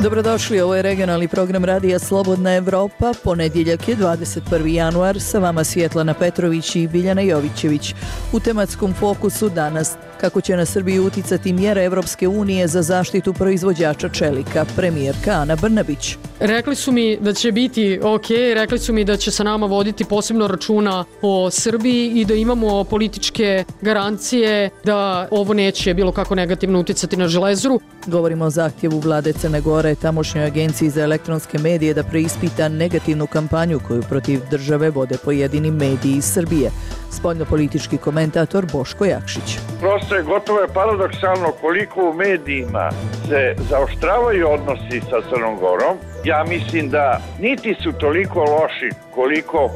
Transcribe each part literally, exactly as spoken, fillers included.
Dobrodošli, ovo je regionalni program Radija Slobodna Evropa. Ponedjeljak je dvadeset prvi januar, sa vama Svjetlana Petrović i Biljana Jovićević. U tematskom fokusu danas: kako će na Srbiju uticati mjere Evropske unije za zaštitu proizvođača čelika, premijerka Ana Brnabić. Rekli su mi da će biti ok, rekli su mi da će sa nama voditi posebno računa o Srbiji i da imamo političke garancije da ovo neće bilo kako negativno uticati na Železaru. Govorimo o zahtjevu vlade Crne Gore tamošnjoj agenciji za elektronske medije da preispita negativnu kampanju koju protiv države vode pojedini mediji iz Srbije. Spoljnopolitički komentator Boško Jakšić. Prosto je gotovo je paradoksalno koliko u medijima se zaoštravaju odnosi sa Crnom Gorom. Ja mislim da niti su toliko loši koliko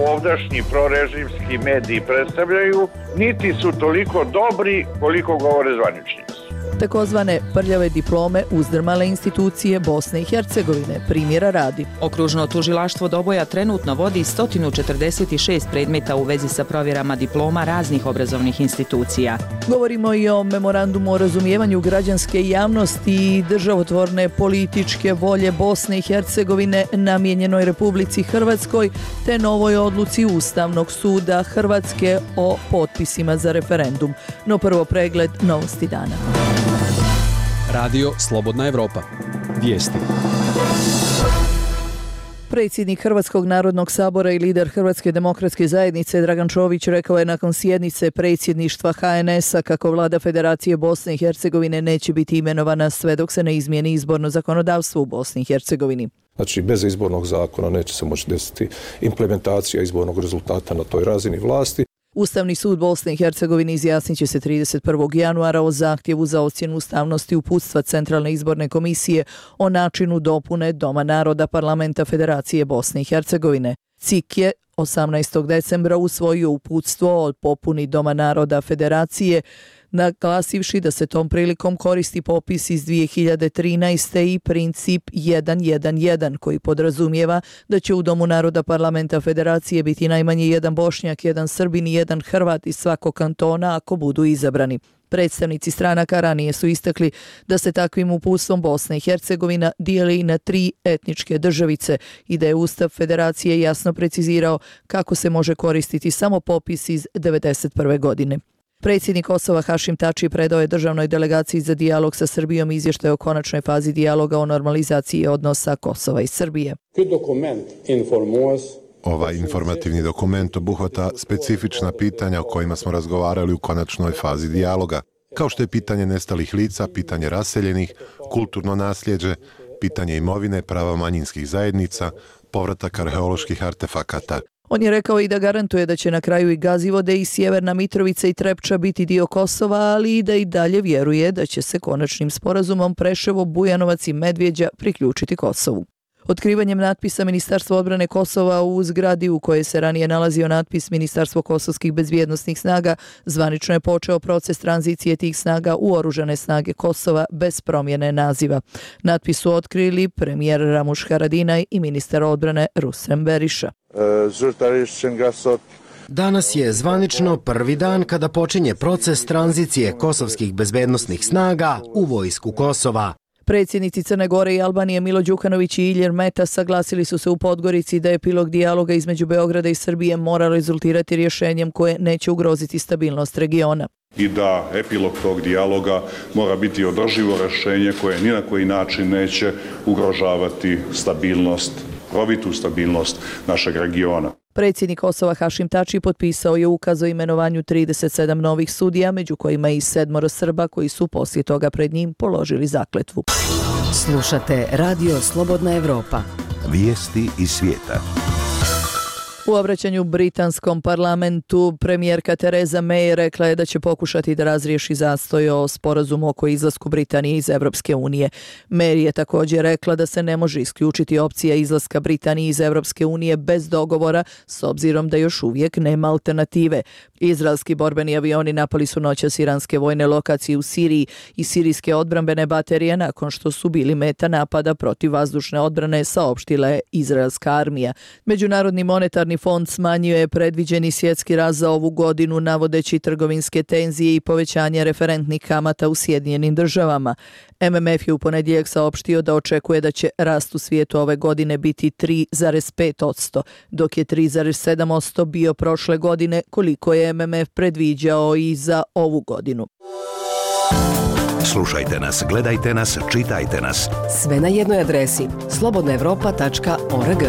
ovdašnji prorežimski mediji predstavljaju, niti su toliko dobri koliko govore zvaničnici. Takozvane prljave diplome uzdrmale institucije Bosne i Hercegovine, primjera radi. Okružno tužilaštvo Doboja trenutno vodi sto četrdeset šest predmeta u vezi sa provjerama diploma raznih obrazovnih institucija. Govorimo i o memorandumu o razumijevanju građanske javnosti i državotvorne političke volje Bosne i Hercegovine namijenjenoj Republici Hrvatskoj, te novoj odluci Ustavnog suda Hrvatske o potpisima za referendum. No prvo pregled novosti dana. Radio Slobodna Evropa. Vijesti. Predsjednik Hrvatskog narodnog sabora i lider Hrvatske demokratske zajednice Dragan Čović rekao je nakon sjednice predsjedništva ha en es a kako vlada Federacije Bosne i Hercegovine neće biti imenovana sve dok se ne izmijeni izborno zakonodavstvo u Bosni i Hercegovini. Znači, bez izbornog zakona neće se moći desiti implementacija izbornog rezultata na toj razini vlasti. Ustavni sud Bosne i Hercegovine izjasnit će se trideset prvog januara o zahtjevu za ocjenu ustavnosti uputstva Centralne izborne komisije o načinu dopune Doma naroda Parlamenta Federacije Bosne i Hercegovine. C I K je osamnaestog decembra usvojio uputstvo o popuni Doma naroda Federacije, naglasivši da se tom prilikom koristi popis iz dvije hiljade trinaeste. i princip jedan jedan jedan koji podrazumijeva da će u Domu naroda Parlamenta Federacije biti najmanje jedan Bošnjak, jedan Srbin i jedan Hrvat iz svakog kantona ako budu izabrani. Predstavnici stranaka ranije su istakli da se takvim uputstvom Bosna i Hercegovina dijeli na tri etničke državice i da je Ustav Federacije jasno precizirao kako se može koristiti samo popis iz devedeset prve. godine. Predsjednik Kosova Hašim Tači predao je državnoj delegaciji za dijalog sa Srbijom izvještaj o konačnoj fazi dijaloga o normalizaciji odnosa Kosova i Srbije. Ovaj informativni dokument obuhvata specifična pitanja o kojima smo razgovarali u konačnoj fazi dijaloga, kao što je pitanje nestalih lica, pitanje raseljenih, kulturno nasljeđe, pitanje imovine, prava manjinskih zajednica, povratak arheoloških artefakata. On je rekao i da garantuje da će na kraju i Gazivode i Sjeverna Mitrovica i Trepča biti dio Kosova, ali i da i dalje vjeruje da će se konačnim sporazumom Preševo, Bujanovac i Medvjeđa priključiti Kosovu. Otkrivanjem natpisa Ministarstva odbrane Kosova u zgradi u kojoj se ranije nalazio natpis Ministarstvo kosovskih bezbjednosnih snaga, zvanično je počeo proces tranzicije tih snaga u oružane snage Kosova bez promjene naziva. Natpis su otkrili premijer Ramuš Haradinaj i ministar odbrane Rusem Beriša. Danas je zvanično prvi dan kada počinje proces tranzicije kosovskih bezbednosnih snaga u vojsku Kosova. Predsjednici Crne Gore i Albanije Milo Đukanović i Ilir Meta saglasili su se u Podgorici da epilog dijaloga između Beograda i Srbije mora rezultirati rješenjem koje neće ugroziti stabilnost regiona. I da epilog tog dijaloga mora biti održivo rješenje koje ni na koji način neće ugrožavati stabilnost, provitu stabilnost našeg regiona. Predsjednik Kosova Hašim Tači potpisao je ukaz o imenovanju trideset sedam novih sudija, među kojima i sedmoro Srba koji su poslije toga pred njim položili zakletvu. Slušate Radio Slobodna Evropa. Vijesti iz svijeta. U obraćanju britanskom parlamentu premijerka Theresa May rekla je da će pokušati da razriješi zastoj o sporazumu oko izlasku Britanije iz Evropske unije. May je također rekla da se ne može isključiti opcija izlaska Britanije iz Evropske unije bez dogovora, s obzirom da još uvijek nema alternative. Izraelski borbeni avioni napali su noćas iranske vojne lokacije u Siriji i sirijske odbrambene baterije nakon što su bili meta napada protiv vazdušne odbrane, saopštila je izraelska armija. Međunarodni monetarni monetarni fond smanjuje predviđeni svjetski rast za ovu godinu navodeći trgovinske tenzije i povećanje referentnih kamata u Sjedinjenim državama. M M F je u ponedjeljak saopštio da očekuje da će rast u svijetu ove godine biti tri zarez pet posto, dok je tri zarez sedam posto bio prošle godine, koliko je M M F predviđao i za ovu godinu. Slušajte nas, gledajte nas, čitajte nas. Sve na jednoj adresi slobodna evropa tačka org.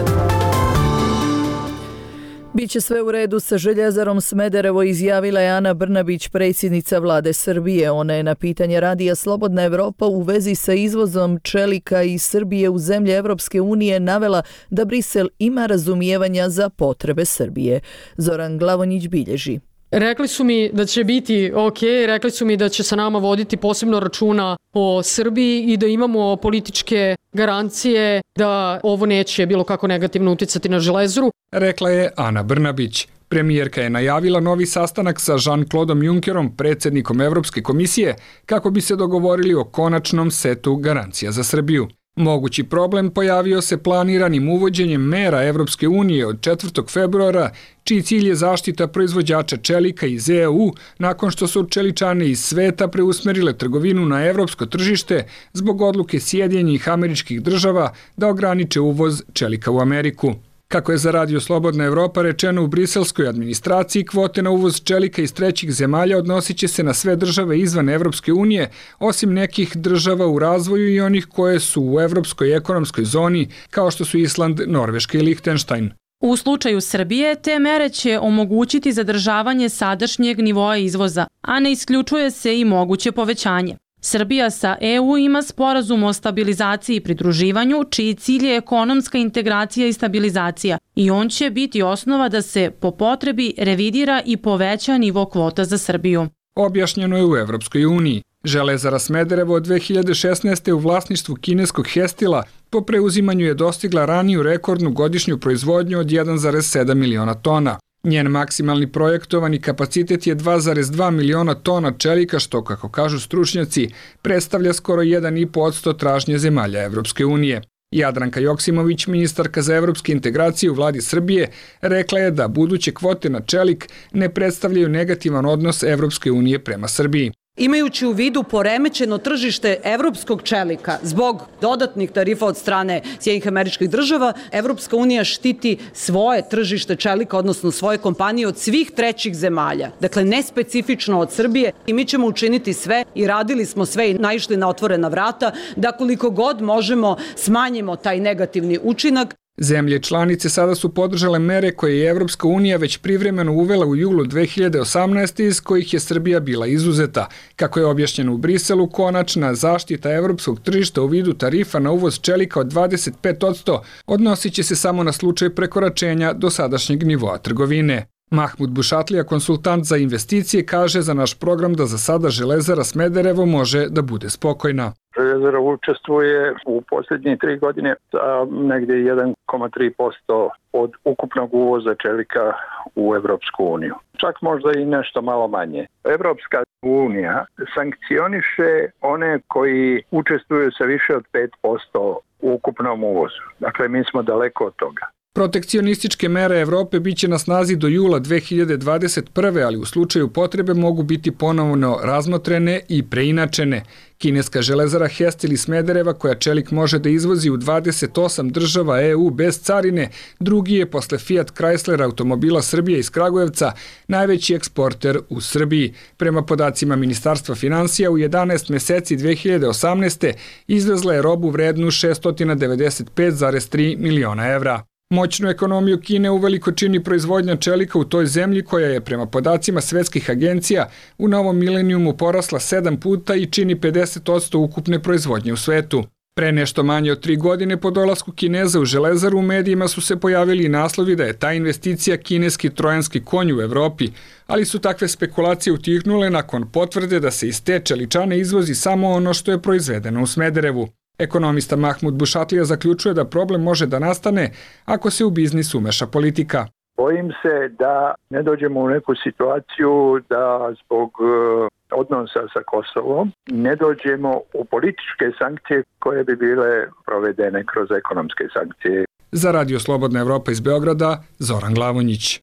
Biće sve u redu sa Željezarom Smederevo, izjavila je Ana Brnabić, predsjednica vlade Srbije. Ona je na pitanje radija Slobodna Evropa u vezi sa izvozom čelika iz Srbije u zemlje Evropske unije navela da Brisel ima razumijevanja za potrebe Srbije. Zoran Glavonjić bilježi. Rekli su mi da će biti ok, rekli su mi da će sa nama voditi posebno računa o Srbiji i da imamo političke garancije da ovo neće bilo kako negativno uticati na Železaru. Rekla je Ana Brnabić. Premijerka je najavila novi sastanak sa Jean-Claudeom Junckerom, predsjednikom Evropske komisije, kako bi se dogovorili o konačnom setu garancija za Srbiju. Mogući problem pojavio se planiranim uvođenjem mera Evropske unije od četvrtog februara, čiji cilj je zaštita proizvođača čelika iz E U nakon što su čeličane iz sveta preusmerile trgovinu na evropsko tržište zbog odluke Sjedinjenih Američkih Država da ograniče uvoz čelika u Ameriku. Kako je za Radio Slobodna Evropa rečeno u briselskoj administraciji, kvote na uvoz čelika iz trećih zemalja odnosit će se na sve države izvan Evropske unije, osim nekih država u razvoju i onih koje su u Evropskoj ekonomskoj zoni, kao što su Island, Norveška i Lihtenštajn. U slučaju Srbije, te mere će omogućiti zadržavanje sadašnjeg nivoa izvoza, a ne isključuje se i moguće povećanje. Srbija sa E U ima sporazum o stabilizaciji i pridruživanju, čiji cilj je ekonomska integracija i stabilizacija, i on će biti osnova da se po potrebi revidira i poveća nivo kvota za Srbiju. Objašnjeno je u Evropskoj uniji. Železara Smederevo od dve hiljade šesnaeste. u vlasništvu kineskog Hestila po preuzimanju je dostigla raniju rekordnu godišnju proizvodnju od jedan zarez sedam miliona tona. Njen maksimalni projektovani kapacitet je dva zarez dva miliona tona čelika, što, kako kažu stručnjaci, predstavlja skoro jedan zarez pet posto tražnje zemalja Evropske unije. Jadranka Joksimović, ministarka za evropske integracije u vladi Srbije, rekla je da buduće kvote na čelik ne predstavljaju negativan odnos Evropske unije prema Srbiji. Imajući u vidu poremećeno tržište evropskog čelika zbog dodatnih tarifa od strane Sjedinjenih Američkih Država, Evropska unija štiti svoje tržište čelika, odnosno svoje kompanije od svih trećih zemalja. Dakle, ne specifično od Srbije, i mi ćemo učiniti sve i radili smo sve i naišli na otvorena vrata da koliko god možemo smanjimo taj negativni učinak. Zemlje članice sada su podržale mere koje je Evropska unija već privremeno uvela u julu dve hiljade osamnaeste. iz kojih je Srbija bila izuzeta. Kako je objašnjeno u Briselu, konačna zaštita evropskog tržišta u vidu tarifa na uvoz čelika od dvadeset pet posto odnosit će se samo na slučaj prekoračenja dosadašnjeg nivoa trgovine. Mahmud Bušatlija, konsultant za investicije, kaže za naš program da za sada Železara Smederevo može da bude spokojna. Železara učestvuje u posljednje tri godine sa negdje jedan zarez tri posto od ukupnog uvoza čelika u Evropsku uniju. Čak možda i nešto malo manje. Evropska unija sankcioniše one koji učestvuju sa više od pet posto u ukupnom uvozu. Dakle, mi smo daleko od toga. Protekcionističke mere Evrope biće na snazi do jula dve hiljade dvadeset prve. ali u slučaju potrebe mogu biti ponovno razmotrene i preinačene. Kineska železara Hestil iz Smedereva, koja čelik može da izvozi u dvadeset osam država E U bez carine, drugi je posle Fiat Chrysler automobila Srbije iz Kragujevca najveći eksporter u Srbiji. Prema podacima Ministarstva finansija, u jedanaest meseci dve hiljade osamnaeste. izvezla je robu vrednu šesto devedeset pet zarez tri miliona evra. Moćnu ekonomiju Kine uveliko čini proizvodnja čelika u toj zemlji, koja je prema podacima svetskih agencija u novom milenijumu porasla sedam puta i čini pedeset posto ukupne proizvodnje u svetu. Pre nešto manje od tri godine po dolasku Kineza u Železaru u medijima su se pojavili i naslovi da je ta investicija kineski trojanski konj u Evropi, ali su takve spekulacije utihnule nakon potvrde da se iz te čeličane izvozi samo ono što je proizvedeno u Smederevu. Ekonomista Mahmud Bušatlija zaključuje da problem može da nastane ako se u biznis umeša politika. Bojim se da ne dođemo u neku situaciju da zbog odnosa sa Kosovom ne dođemo u političke sankcije koje bi bile provedene kroz ekonomske sankcije. Za Radio Slobodna Evropa iz Beograda, Zoran Glavonjić.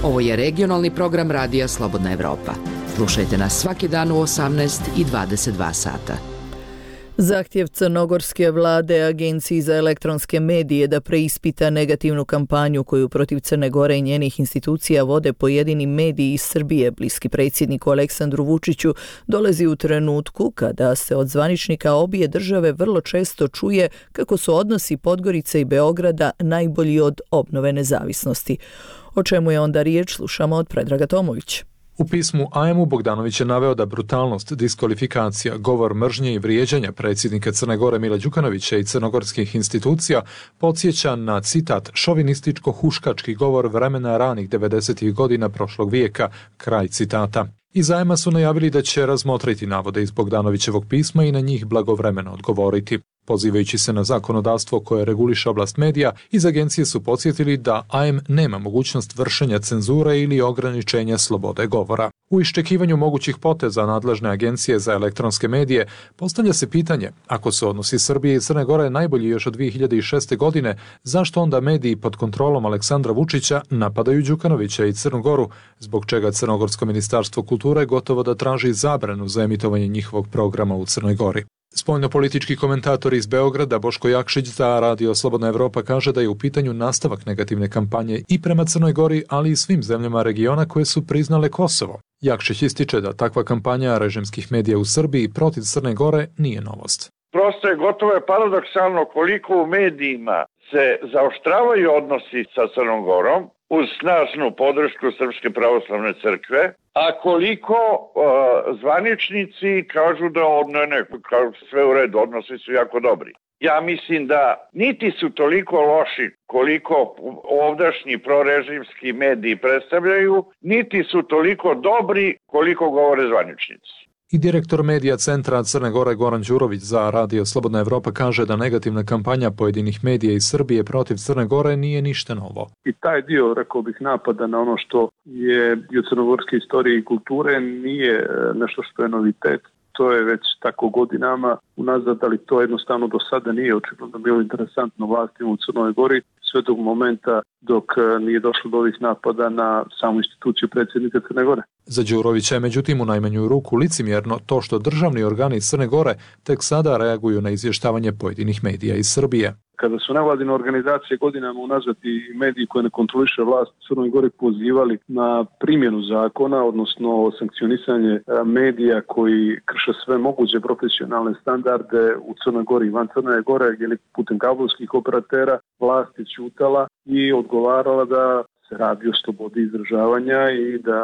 Ovo je regionalni program Radija Slobodna Evropa. Slušajte nas svaki dan u osamnaest i dvadeset dva sata. Zahtjev crnogorske vlade Agenciji za elektronske medije da preispita negativnu kampanju koju protiv Crne Gore i njenih institucija vode pojedini mediji iz Srbije bliski predsjedniku Aleksandru Vučiću dolazi u trenutku kada se od zvaničnika obje države vrlo često čuje kako su odnosi Podgorice i Beograda najbolji od obnove nezavisnosti. O čemu je onda riječ, slušamo od Predraga Tomovića. U pismu A M U Bogdanović je naveo da brutalnost, diskvalifikacija, govor mržnje i vrijeđanja predsjednika Crne Gore Mila Đukanovića i crnogorskih institucija podsjeća na, citat, šovinističko-huškački govor vremena ranih devedesetih godina prošlog vijeka, kraj citata. Iz A M A su najavili da će razmotriti navode iz Bogdanovićevog pisma i na njih blagovremeno odgovoriti. Pozivajući se na zakonodavstvo koje reguliše oblast medija, iz agencije su podsjetili da A M nema mogućnost vršenja cenzure ili ograničenja slobode govora. U iščekivanju mogućih poteza nadležne agencije za elektronske medije postavlja se pitanje, ako su odnosi Srbije i Crne Gore najbolji još od dvije hiljade šeste. godine, zašto onda mediji pod kontrolom Aleksandra Vučića napadaju Đukanovića i Crnu Goru, zbog čega Crnogorsko ministarstvo kulture gotovo da traži zabranu za emitovanje njihovog programa u Crnoj Gori. Spoljnopolitički komentator iz Beograda Boško Jakšić za Radio Slobodna Evropa kaže da je u pitanju nastavak negativne kampanje i prema Crnoj Gori, ali i svim zemljama regiona koje su priznale Kosovo. Jakšić ističe da takva kampanja režimskih medija u Srbiji protiv Crne Gore nije novost. Prosto je gotovo je paradoksalno koliko u medijima se zaoštravaju odnosi sa Crnom Gorom uz snažnu podršku Srpske pravoslavne crkve, a koliko uh, zvaničnici kažu da ne, ne, kažu sve u redu, odnosi su jako dobri. Ja mislim da niti su toliko loši koliko ovdašnji prorežimski mediji predstavljaju, niti su toliko dobri koliko govore zvaničnici. I direktor medija centra Crne Gore Goran Đurović za Radio Slobodna Evropa kaže da negativna kampanja pojedinih medija iz Srbije protiv Crne Gore nije ništa novo. I taj dio, rekao bih, napada na ono što je i od crnogorske istorije i kulture nije nešto što je novitet. To je već tako godinama unazad, ali to jednostavno do sada nije očigledno bilo interesantno vlastima u Crnoj Gori, sve do momenta dok nije došlo do ovih napada na samu instituciju predsjednika Crne Gore. Za Đurovića je međutim u najmanju ruku licemjerno to što državni organi Crne Gore tek sada reaguju na izvještavanje pojedinih medija iz Srbije. Kada su nevladine organizacije godinama unazad i mediji koje ne kontroliše vlast u Crnoj Gori pozivali na primjenu zakona, odnosno sankcionisanje medija koji krše sve moguće profesionalne standarde u Crnoj Gori i van Crne Gore, ili putem kablovskih operatera, vlast je ćutala i odgovarala da se radi o slobodi izražavanja i da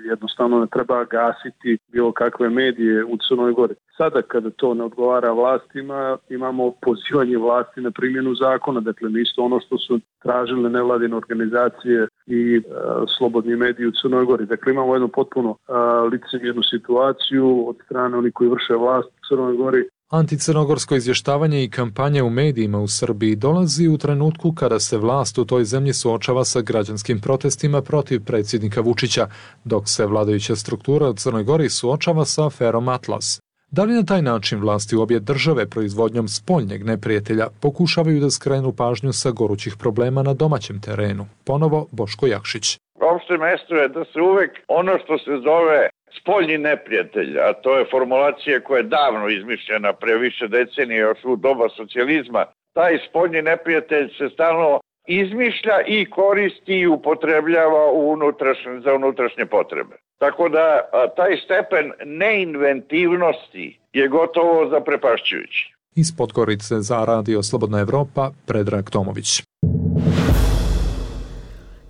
jednostavno ne treba gasiti bilo kakve medije u Crnoj Gori. Sada kada to ne odgovara vlastima, imamo pozivanje vlasti na primjenu zakona, dakle isto ono što su tražile nevladine organizacije i e, slobodni mediji u Crnoj Gori. Dakle imamo jednu potpuno e, licemjernu situaciju od strane onih koji vrše vlast u Crnoj Gori. Anticrnogorsko izvještavanje i kampanja u medijima u Srbiji dolazi u trenutku kada se vlast u toj zemlji suočava sa građanskim protestima protiv predsjednika Vučića, dok se vladajuća struktura u Crnoj Gori suočava sa aferom Atlas. Da li na taj način vlasti u obje države proizvodnjom spoljnjeg neprijatelja pokušavaju da skrenu pažnju sa gorućih problema na domaćem terenu? Ponovo Boško Jakšić. Opšte mesto je da se uvek ono što se zove spoljni neprijatelj, a to je formulacija koja je davno izmišljena pre više decenije još u doba socijalizma, taj spoljni neprijatelj se stalno izmišlja i koristi i upotrebljava u unutrašnje, za unutrašnje potrebe. Tako da a, taj stepen neinventivnosti je gotovo zaprepašćujući. Iz Podgorice za Radio Slobodna Evropa, Predrag Tomović.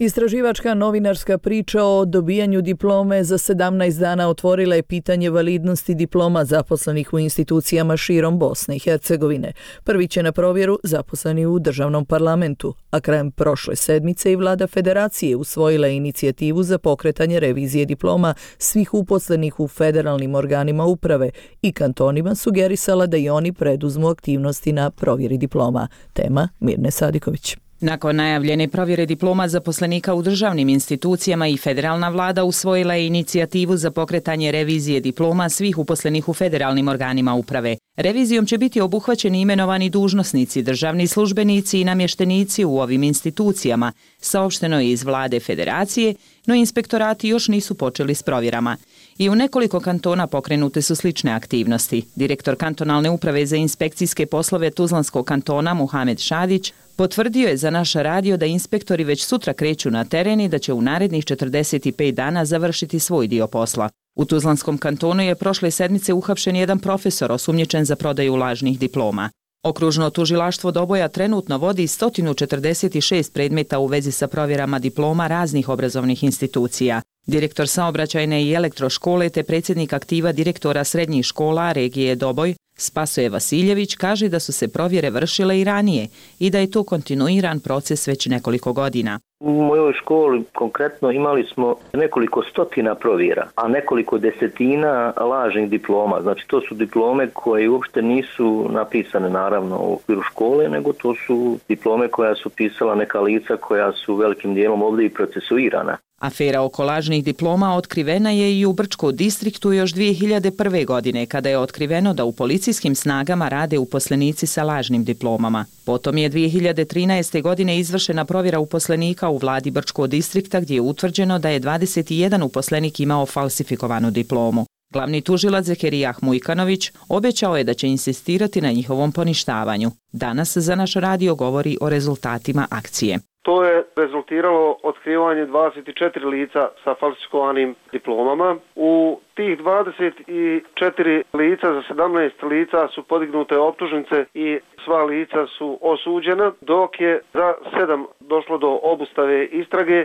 Istraživačka novinarska priča o dobijanju diplome za sedamnaest dana otvorila je pitanje validnosti diploma zaposlenih u institucijama širom Bosne i Hercegovine. Prvi će na provjeru zaposleni u državnom parlamentu, a krajem prošle sedmice i vlada federacije usvojila inicijativu za pokretanje revizije diploma svih uposlenih u federalnim organima uprave i kantonima sugerisala da i oni preduzmu aktivnosti na provjeri diploma. Tema Mirne Sadiković. Nakon najavljene provjere diploma zaposlenika u državnim institucijama i federalna vlada usvojila je inicijativu za pokretanje revizije diploma svih uposlenih u federalnim organima uprave. Revizijom će biti obuhvaćeni imenovani dužnosnici, državni službenici i namještenici u ovim institucijama, saopšteno je iz vlade federacije, no inspektorati još nisu počeli s provjerama. I u nekoliko kantona pokrenute su slične aktivnosti. Direktor kantonalne uprave za inspekcijske poslove Tuzlanskog kantona Muhamed Šadić potvrdio je za naš radio da inspektori već sutra kreću na teren i da će u narednih četrdeset pet dana završiti svoj dio posla. U Tuzlanskom kantonu je prošle sedmice uhapšen jedan profesor osumnjičen za prodaju lažnih diploma. Okružno tužilaštvo Doboja trenutno vodi sto četrdeset šest predmeta u vezi sa provjerama diploma raznih obrazovnih institucija. Direktor saobraćajne i elektroškole te predsjednik aktiva direktora srednjih škola regije Doboj, Spasoje Vasiljević, kaže da su se provjere vršile i ranije i da je to kontinuiran proces već nekoliko godina. U mojoj školi konkretno imali smo nekoliko stotina provjera, a nekoliko desetina lažnih diploma. Znači to su diplome koje uopšte nisu napisane naravno u okviru škole, nego to su diplome koja su pisala neka lica koja su velikim dijelom ovdje i procesuirana. Afera oko lažnih diploma otkrivena je i u Brčkom distriktu još dvije hiljade prve. godine, kada je otkriveno da u policijskim snagama rade uposlenici sa lažnim diplomama. Potom je dvije hiljade trinaeste. godine izvršena provjera uposlenika u vladi Brčkog distrikta gdje je utvrđeno da je dvadeset jedan uposlenik imao falsifikovanu diplomu. Glavni tužilac Zekerijah Mujkanović obećao je da će insistirati na njihovom poništavanju. Danas za naš radio govori o rezultatima akcije. To je rezultiralo otkrivanje dvadeset četiri lica sa falsifikovanim diplomama. U tih dvadeset četiri lica za sedamnaest lica su podignute optužnice i sva lica su osuđena, dok je za sedam došlo do obustave istrage.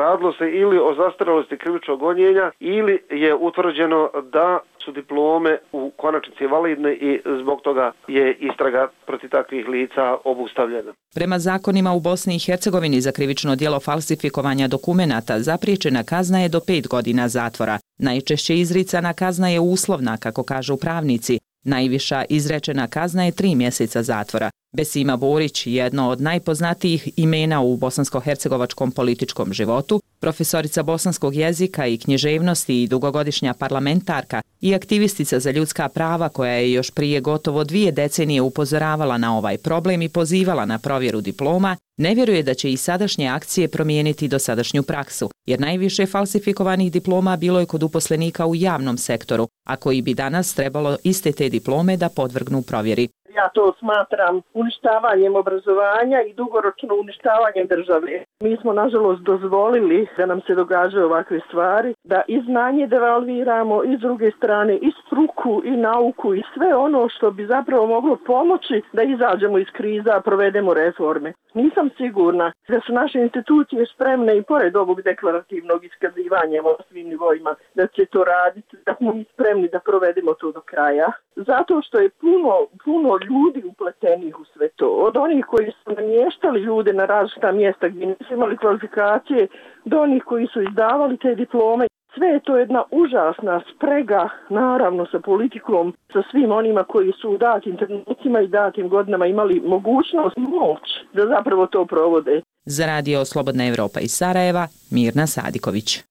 Radilo se ili o zastarelosti krivičnog gonjenja ili je utvrđeno da su diplome u konačnici validne i zbog toga je istraga protiv takvih lica obustavljena. Prema zakonima u Bosni i Hercegovini za krivično djelo falsifikovanja dokumenata zapriječena kazna je do pet godina zatvora. Najčešće izricana kazna je uslovna, kako kažu pravnici. Najviša izrečena kazna je tri mjeseca zatvora. Besima Borić, jedno od najpoznatijih imena u bosansko-hercegovačkom političkom životu, profesorica bosanskog jezika i književnosti i dugogodišnja parlamentarka i aktivistica za ljudska prava koja je još prije gotovo dvije decenije upozoravala na ovaj problem i pozivala na provjeru diploma, ne vjeruje da će i sadašnje akcije promijeniti dosadašnju praksu, jer najviše falsifikovanih diploma bilo je kod uposlenika u javnom sektoru, a koji bi danas trebalo iste te diplome da podvrgnu provjeri. Ja to smatram uništavanjem obrazovanja i dugoročno uništavanjem države. Mi smo nažalost dozvolili da nam se događaju ovakve stvari, da i znanje devalviramo i s druge strane i struku i nauku i sve ono što bi zapravo moglo pomoći da izađemo iz kriza, provedemo reforme. Nisam sigurna da su naše institucije spremne i pored ovog deklarativnog iskazivanja o svim nivoima da će to raditi, da smo mi spremni da provedemo to do kraja. Zato što je puno, puno ljudi upletenih u sve to. Od onih koji su namještali ljude na različita mjesta gdje nisu imali kvalifikacije, do onih koji su izdavali te diplome. Sve je to jedna užasna sprega, naravno sa politikom, sa svim onima koji su u datim trenucima i datim godinama imali mogućnost i moć da zapravo to provode. Za radio Slobodna Evropa iz Sarajeva, Mirna Sadiković.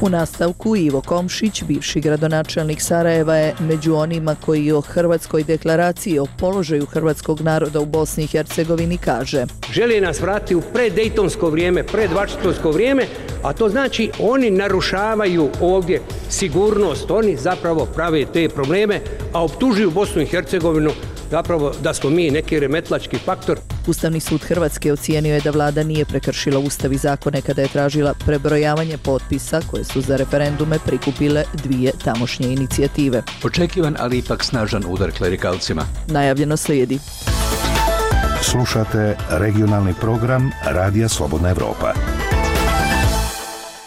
U nastavku Ivo Komšić, bivši gradonačelnik Sarajeva, je među onima koji o Hrvatskoj deklaraciji o položaju hrvatskog naroda u Bosni i Hercegovini kaže: žele nas vratiti u preddejtonsko vrijeme, predvašingtonsko vrijeme, a to znači oni narušavaju ovdje sigurnost, oni zapravo prave te probleme, a optužuju Bosnu i Hercegovinu zapravo da smo mi neki remetlački faktor. Ustavni sud Hrvatske ocijenio je da vlada nije prekršila ustav i zakone kada je tražila prebrojavanje potpisa koje su za referendume prikupile dvije tamošnje inicijative. Očekivan, ali ipak snažan udar klerikalcima. Najavljeno slijedi. Slušate regionalni program Radija Slobodna Evropa.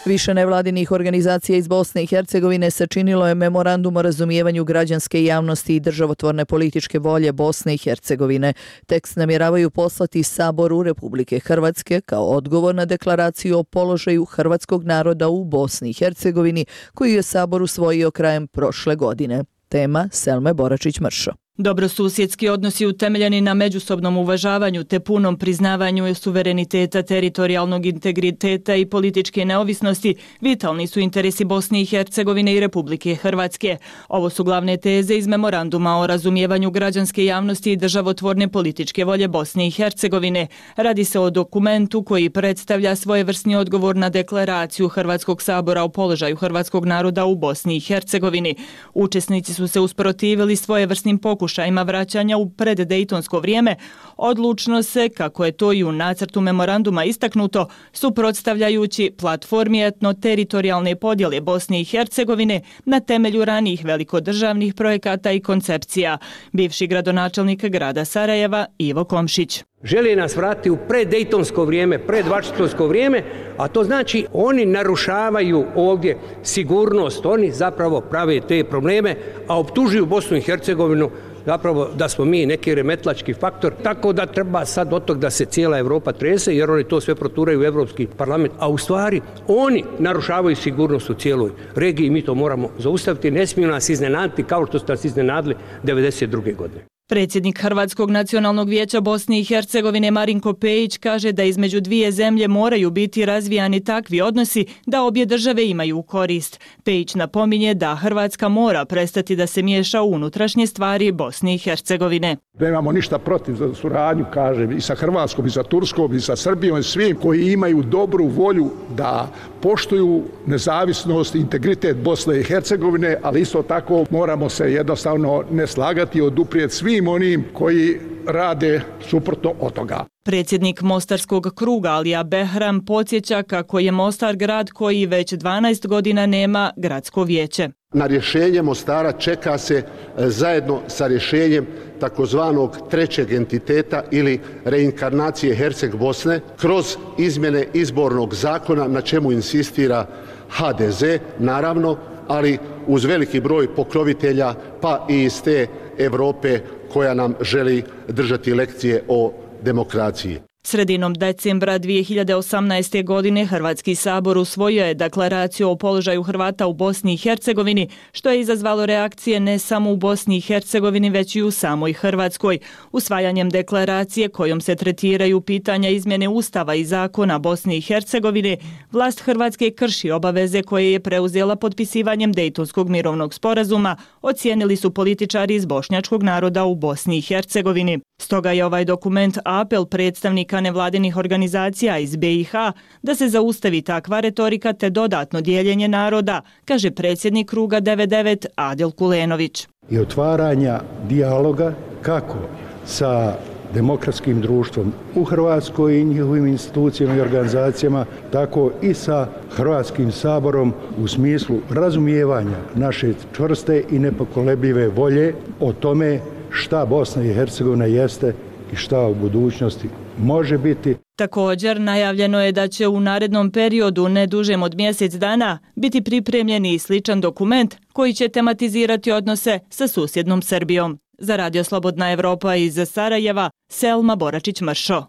Više nevladinih organizacija iz Bosne i Hercegovine sačinilo je memorandum o razumijevanju građanske javnosti i državotvorne političke volje Bosne i Hercegovine. Tekst namjeravaju poslati Saboru Republike Hrvatske kao odgovor na deklaraciju o položaju hrvatskog naroda u Bosni i Hercegovini, koju je Sabor usvojio krajem prošle godine. Tema Selme Boračić-Mršo. Dobrosusjedski odnosi utemeljeni na međusobnom uvažavanju te punom priznavanju suvereniteta, teritorijalnog integriteta i političke neovisnosti vitalni su interesi Bosne i Hercegovine i Republike Hrvatske. Ovo su glavne teze iz memoranduma o razumijevanju građanske javnosti i državotvorne političke volje Bosne i Hercegovine. Radi se o dokumentu koji predstavlja svojevrsni odgovor na deklaraciju Hrvatskog sabora o položaju hrvatskog naroda u Bosni i Hercegovini. Učesnici su se usprotivili svojevrsnim pokušajima pokušajima vraćanja u preddejtonsko vrijeme, odlučno se, kako je to i u nacrtu memoranduma istaknuto, suprotstavljajući platformi etno-teritorijalne podjele Bosne i Hercegovine na temelju ranijih velikodržavnih projekata i koncepcija. Bivši gradonačelnik grada Sarajeva Ivo Komšić. Žele nas vratiti u preddejtonsko vrijeme, predvašingtonsko vrijeme, a to znači oni narušavaju ovdje sigurnost, oni zapravo prave te probleme, a optužuju Bosnu i Hercegovinu zapravo da smo mi neki remetlački faktor, tako da treba sad od tog da se cijela Evropa trese, jer oni to sve proturaju u Evropski parlament, a u stvari oni narušavaju sigurnost u cijeloj regiji, mi to moramo zaustaviti, ne smiju nas iznenaditi kao što ste nas iznenadili devedeset druge godine. Predsjednik Hrvatskog nacionalnog vijeća Bosne i Hercegovine Marinko Pejić kaže da između dvije zemlje moraju biti razvijani takvi odnosi da obje države imaju korist. Pejić napominje da Hrvatska mora prestati da se miješa u unutrašnje stvari Bosne i Hercegovine. Nemamo ništa protiv za suradnju, kažem, i sa Hrvatskom, i sa Turskom, i sa Srbijom, i svim koji imaju dobru volju da poštuju nezavisnost i integritet Bosne i Hercegovine, ali isto tako moramo se jednostavno ne slagati i oduprijeti svim onim koji rade suprotno od toga. Predsjednik Mostarskog kruga Alija Behram podsjeća kako je Mostar grad koji već dvanaest godina nema gradsko vijeće. Na rješenje Mostara čeka se zajedno sa rješenjem takozvanog trećeg entiteta ili reinkarnacije Herceg Bosne kroz izmjene izbornog zakona na čemu insistira ha de ze, naravno, ali uz veliki broj pokrovitelja pa i iz te Europe koja nam želi držati lekcije o demokraciji. Sredinom decembra dvije hiljade osamnaeste. godine Hrvatski sabor usvojio je deklaraciju o položaju Hrvata u Bosni i Hercegovini, što je izazvalo reakcije ne samo u Bosni i Hercegovini, već i u samoj Hrvatskoj. Usvajanjem deklaracije kojom se tretiraju pitanja izmjene Ustava i zakona Bosne i Hercegovine, vlast Hrvatske krši obaveze koje je preuzela potpisivanjem Dejtonskog mirovnog sporazuma, ocijenili su političari iz bošnjačkog naroda u Bosni i Hercegovini. Stoga je ovaj dokument apel predstavnika nevladinih organizacija iz be i ha da se zaustavi takva retorika te dodatno dijeljenje naroda, kaže predsjednik kruga devedeset devet Adil Kulenović. I otvaranja dijaloga kako sa demokratskim društvom u Hrvatskoj i njihovim institucijama i organizacijama, tako i sa Hrvatskim saborom u smislu razumijevanja naše čvrste i nepokolebljive volje o tome šta Bosna i Hercegovina jeste i šta u budućnosti može biti. Također, najavljeno je da će u narednom periodu, ne dužem od mjesec dana, biti pripremljen i sličan dokument koji će tematizirati odnose sa susjednom Srbijom. Za Radio Slobodna Evropa iz Sarajeva, Selma Boračić-Mršo.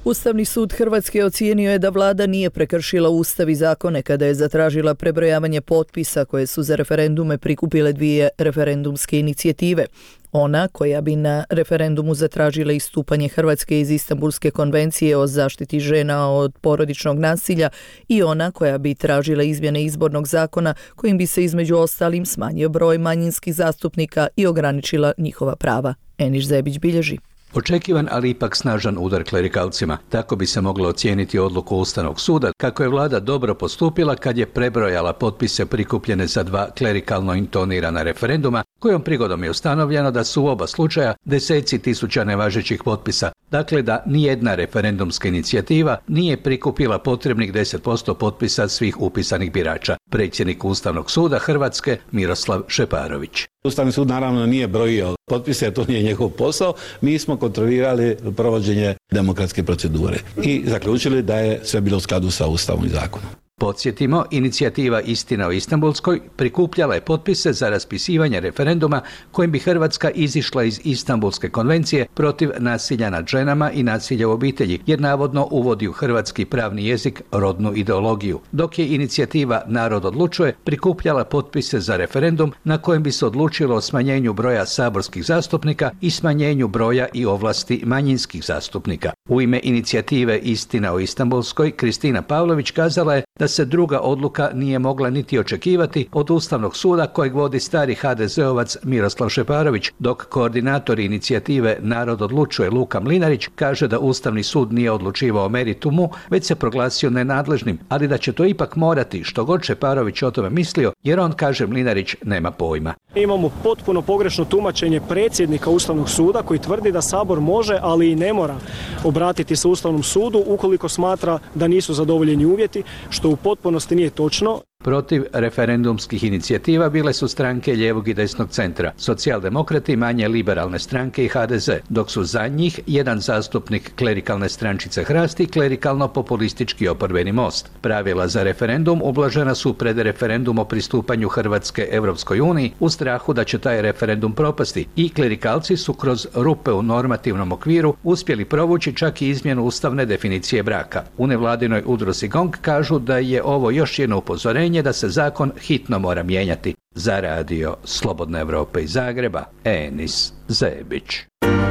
Ustavni sud Hrvatske ocijenio je da vlada nije prekršila ustav i zakone kada je zatražila prebrojavanje potpisa koje su za referendume prikupile dvije referendumske inicijative. Ona koja bi na referendumu zatražila istupanje Hrvatske iz Istanbulske konvencije o zaštiti žena od porodičnog nasilja i ona koja bi tražila izmjene izbornog zakona kojim bi se između ostalim smanjio broj manjinskih zastupnika i ograničila njihova prava. Eniš Zebić bilježi. Očekivan, ali ipak snažan udar klerikalcima. Tako bi se moglo ocijeniti odluku Ustavnog suda, kako je vlada dobro postupila kad je prebrojala potpise prikupljene za dva klerikalno intonirana referenduma, kojom prigodom je ustanovljeno da su u oba slučaja deseci tisuća nevažećih potpisa. Dakle, da nijedna referendumska inicijativa nije prikupila potrebnih deset posto potpisa svih upisanih birača. Predsjednik Ustavnog suda Hrvatske Miroslav Šeparović. Ustavni sud naravno nije brojio potpise, to nije njegov posao. Mi smo kontrolirali provođenje demokratske procedure i zaključili da je sve bilo u skladu sa Ustavom i zakonom. Podsjetimo, inicijativa Istina o Istanbulskoj prikupljala je potpise za raspisivanje referenduma kojim bi Hrvatska izišla iz Istanbulske konvencije protiv nasilja nad ženama i nasilja u obitelji, jer navodno uvodi u hrvatski pravni jezik rodnu ideologiju. Dok je inicijativa Narod odlučuje prikupljala potpise za referendum na kojem bi se odlučilo o smanjenju broja saborskih zastupnika i smanjenju broja i ovlasti manjinskih zastupnika. U ime inicijative Istina o Istanbulskoj, Kristina Pavlović kazala je da se druga odluka nije mogla niti očekivati od Ustavnog suda kojeg vodi stari ha de zeovac Miroslav Šeparović, dok koordinator inicijative Narod odlučuje Luka Mlinarić kaže da Ustavni sud nije odlučivao o meritumu, već se proglasio nenadležnim, ali da će to ipak morati, što god Šeparović o tome mislio, jer on, kaže Mlinarić, nema pojma. Imamo potpuno pogrešno tumačenje predsjednika Ustavnog suda koji tvrdi da Sabor može, ali i ne mora obratiti se Ustavnom sudu ukoliko smatra da nisu zadovoljeni uvjeti, što u potpunosti nije točno. Protiv referendumskih inicijativa bile su stranke lijevog i desnog centra, socijaldemokrati, manje liberalne stranke i ha de ze, dok su za njih jedan zastupnik klerikalne strančice Hrast i klerikalno-populistički oporbeni Most. Pravila za referendum ublažena su pred referendum o pristupanju Hrvatske Europskoj uniji u strahu da će taj referendum propasti i klerikalci su kroz rupe u normativnom okviru uspjeli provući čak i izmjenu ustavne definicije braka. U nevladinoj udruzi Gong kažu da je ovo još jedno upozorenje da se zakon hitno mora mijenjati. Za radio Slobodne Evrope iz Zagreba, Enis Zebić.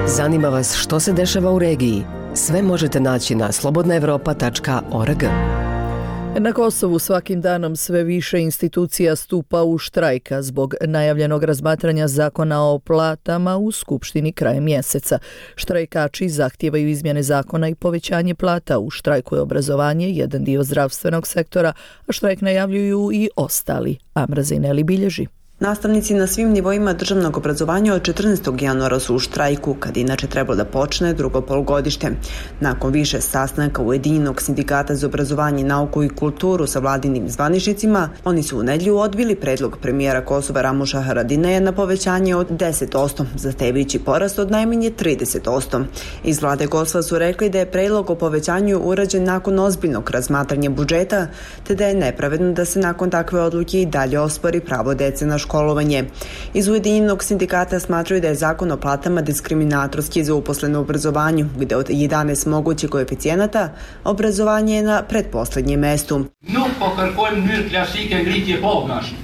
Zanima vas što se dešava u regiji? Sve možete naći na slobodna evropa tačka org. Na Kosovu svakim danom sve više institucija stupa u štrajka zbog najavljenog razmatranja zakona o platama u Skupštini krajem mjeseca. Štrajkači zahtijevaju izmjene zakona i povećanje plata. U štrajku je obrazovanje, jedan dio zdravstvenog sektora, a štrajk najavljuju i ostali. Amra Zejneli bilježi. Nastavnici na svim nivoima državnog obrazovanja od četrnaestog januara su u štrajku, kad inače trebalo da počne drugo polugodište. Nakon više sastanaka Ujedinjenog sindikata za obrazovanje, nauku i kulturu sa vladinim zvaničnicima, oni su u nedjelju odbili predlog premijera Kosova Ramuša Haradinaja na povećanje od deset posto, zahtevajući porast od najmanje trideset posto. Iz vlade Kosova su rekli da je predlog o povećanju urađen nakon ozbiljnog razmatranja budžeta, te da je nepravedno da se nakon takve odluke i dalje ospori pravo dece na školovanje. Iz Ujedinjenog sindikata smatraju da je zakon o platama diskriminatorski za uposlene u obrazovanju, gde od jedanaest mogućih koeficijenata obrazovanje je na pretposlednjem mestu.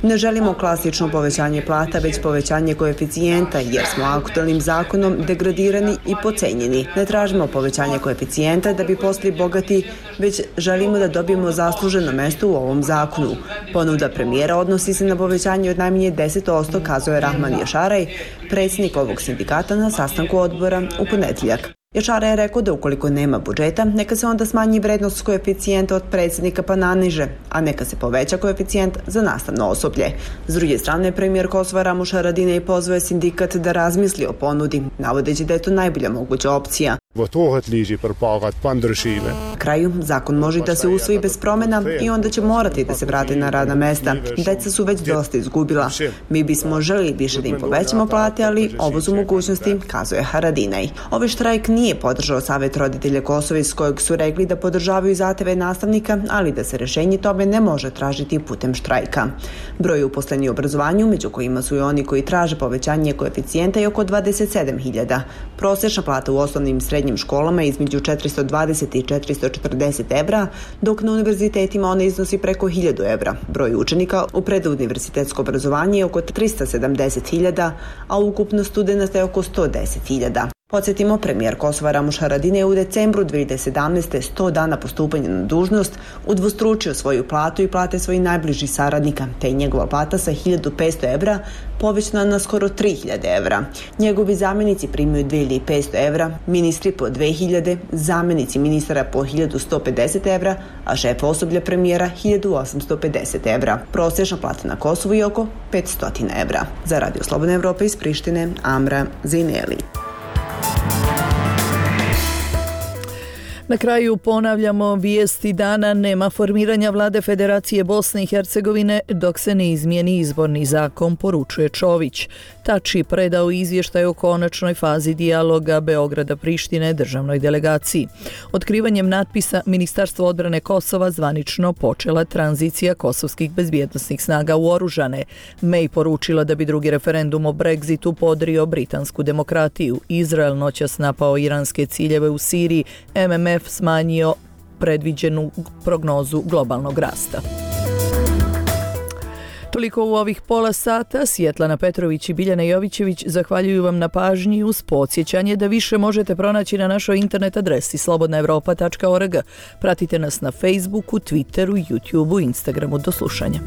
Ne želimo klasično povećanje plata, već povećanje koeficijenta, jer smo aktualnim zakonom degradirani i pocenjeni. Ne tražimo povećanje koeficijenta da bi postali bogati, već želimo da dobijemo zasluženo mesto u ovom zakonu. Ponuda premijera odnosi se na povećanje od najmanje deset posto, kazao je Rahman Jašaraj, predsjednik ovog sindikata na sastanku odbora u ponedjeljak. Jašaraj je rekao da ukoliko nema budžeta, neka se onda smanji vrednost koeficijenta od predsjednika pa naniže, a neka se poveća koeficijent za nastavno osoblje. S druge strane, premijer Kosova Ramuš Haradinaj pozvao je sindikat da razmisli o ponudi, navodeći da je to najbolja moguća opcija. Na kraju, zakon može da se usvoji bez promjena i onda će morati da se vrate na radna mesta. Deca su već dosta izgubila. Mi bismo želili više da im povećamo plate, ali ovo su mogućnosti, kazuje Haradinaj. Ovaj štrajk nije podržao Savet roditelja Kosova, iz kojeg su rekli da podržavaju zahteve nastavnika, ali da se rješenje tome ne može tražiti putem štrajka. Broj uposlenih u obrazovanju, među kojima su i oni koji traže povećanje koeficijenta, je oko dvadeset sedam hiljada. Prosječna plata u osnovnim i srednjim školama je između četiristo dvadeset i četiristo četrdeset evra, dok na univerzitetima ona iznosi preko hiljadu evra. Broj učenika u preduniverzitetsko obrazovanje je oko tristo sedamdeset hiljada, a ukupno studenta je oko sto deset hiljada. Podsjetimo, premijer Kosova Ramuš Haradinaj je u decembru dvije hiljade sedamnaeste. sto dana po stupanju na dužnost, udvostručio svoju platu i plate svojih najbližih saradnika, te je njegova plata sa hiljadu petsto evra povećana na skoro tri hiljade evra. Njegovi zamjenici primaju dvije hiljade petsto evra, ministri po dve hiljade, zamjenici ministara po hiljadu sto pedeset evra, a šef osoblja premijera hiljadu osamsto pedeset evra. Prosječna plata na Kosovu je oko petsto evra. Za Radio Slobodne Evrope iz Prištine, Amra Zejneli. Na kraju ponavljamo vijesti dana: nema formiranja vlade Federacije Bosne i Hercegovine dok se ne izmijeni izborni zakon, poručuje Čović. Tači predao izvještaj o konačnoj fazi dijaloga Beograda-Prištine državnoj delegaciji. Otkrivanjem natpisa Ministarstvo odbrane Kosova zvanično počela tranzicija kosovskih bezbjednosnih snaga u oružane. May poručila da bi drugi referendum o Brexitu podrio britansku demokratiju. Izrael noćas napao iranske ciljeve u Siriji, M M F smanjio predviđenu prognozu globalnog rasta. Toliko u ovih pola sata. Svjetlana Petrović i Biljana Jovićević zahvaljuju vam na pažnji uz podsjećanje da više možete pronaći na našoj internet adresi slobodna evropa tačka org. Pratite nas na Facebooku, Twitteru, YouTubeu, Instagramu. Do slušanja.